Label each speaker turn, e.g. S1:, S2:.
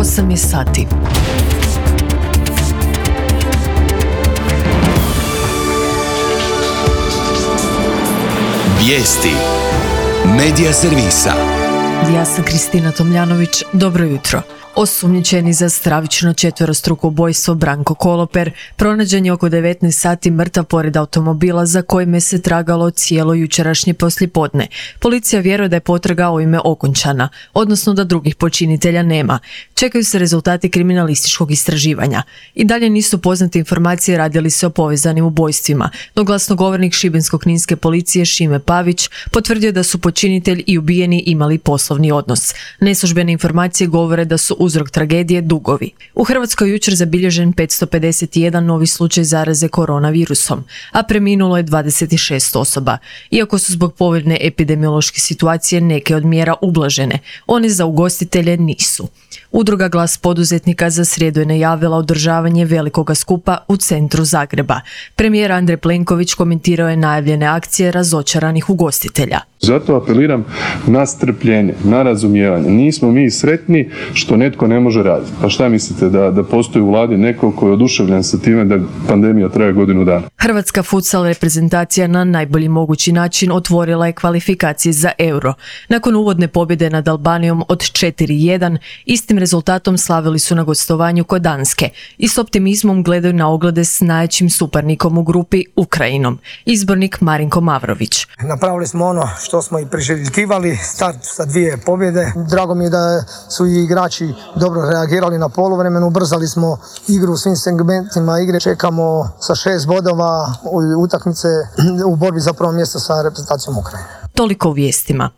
S1: 8 je sati.
S2: Vijesti Medija servisa.
S1: Ja sam Kristina Tomljanović, dobro jutro. Osumnjičeni za stravično četverostruko ubojstvo Branko Koloper pronađen je oko 19 sati mrtav pored automobila za kojime se tragalo cijelo jučerašnje poslijepodne. Policija vjeruje da je potraga ovime okončana, odnosno da drugih počinitelja nema. Čekaju se rezultati kriminalističkog istraživanja. I dalje nisu poznate informacije radi li se o povezanim ubojstvima, no glasnogovornik Šibensko-kninske policije Šime Pavić potvrdio da su počinitelj i ubijeni imali poslovni odnos. Neslužbene informacije govore da su uzrok tragedije dugovi. U Hrvatskoj jučer zabilježen 551 novi slučaj zaraze koronavirusom, a preminulo je 26 osoba. Iako su zbog povoljne epidemiološke situacije neke od mjera ublažene, one za ugostitelje nisu. Udruga Glas poduzetnika za srijedu je najavila održavanje velikoga skupa u centru Zagreba. Premijer Andrej Plenković komentirao je najavljene akcije razočaranih ugostitelja.
S3: Zato apeliram na strpljenje, na razumijevanje. Nismo mi sretni što netko ne može raditi. Pa šta mislite, da postoji u vladi neko koji je oduševljen sa time da pandemija traje godinu dana?
S1: Hrvatska futsal reprezentacija na najbolji mogući način otvorila je kvalifikacije za Euro. Nakon uvodne pobjede nad Albanijom od 4:1, istim rezultatom slavili su na gostovanju kod Danske i s optimizmom gledaju na oglede s najjačim suparnikom u grupi Ukrajinom. Izbornik Marinko Mavrović.
S4: Napravili smo ono što smo i priželjkivali, start sa 2 pobjede. Drago mi je da su i igrači dobro reagirali na poluvremenu, ubrzali smo igru u svim segmentima igre. Čekamo sa 6 bodova utakmice u borbi za prvo mjesto sa reprezentacijom Ukrajine.
S1: Toliko u vijestima.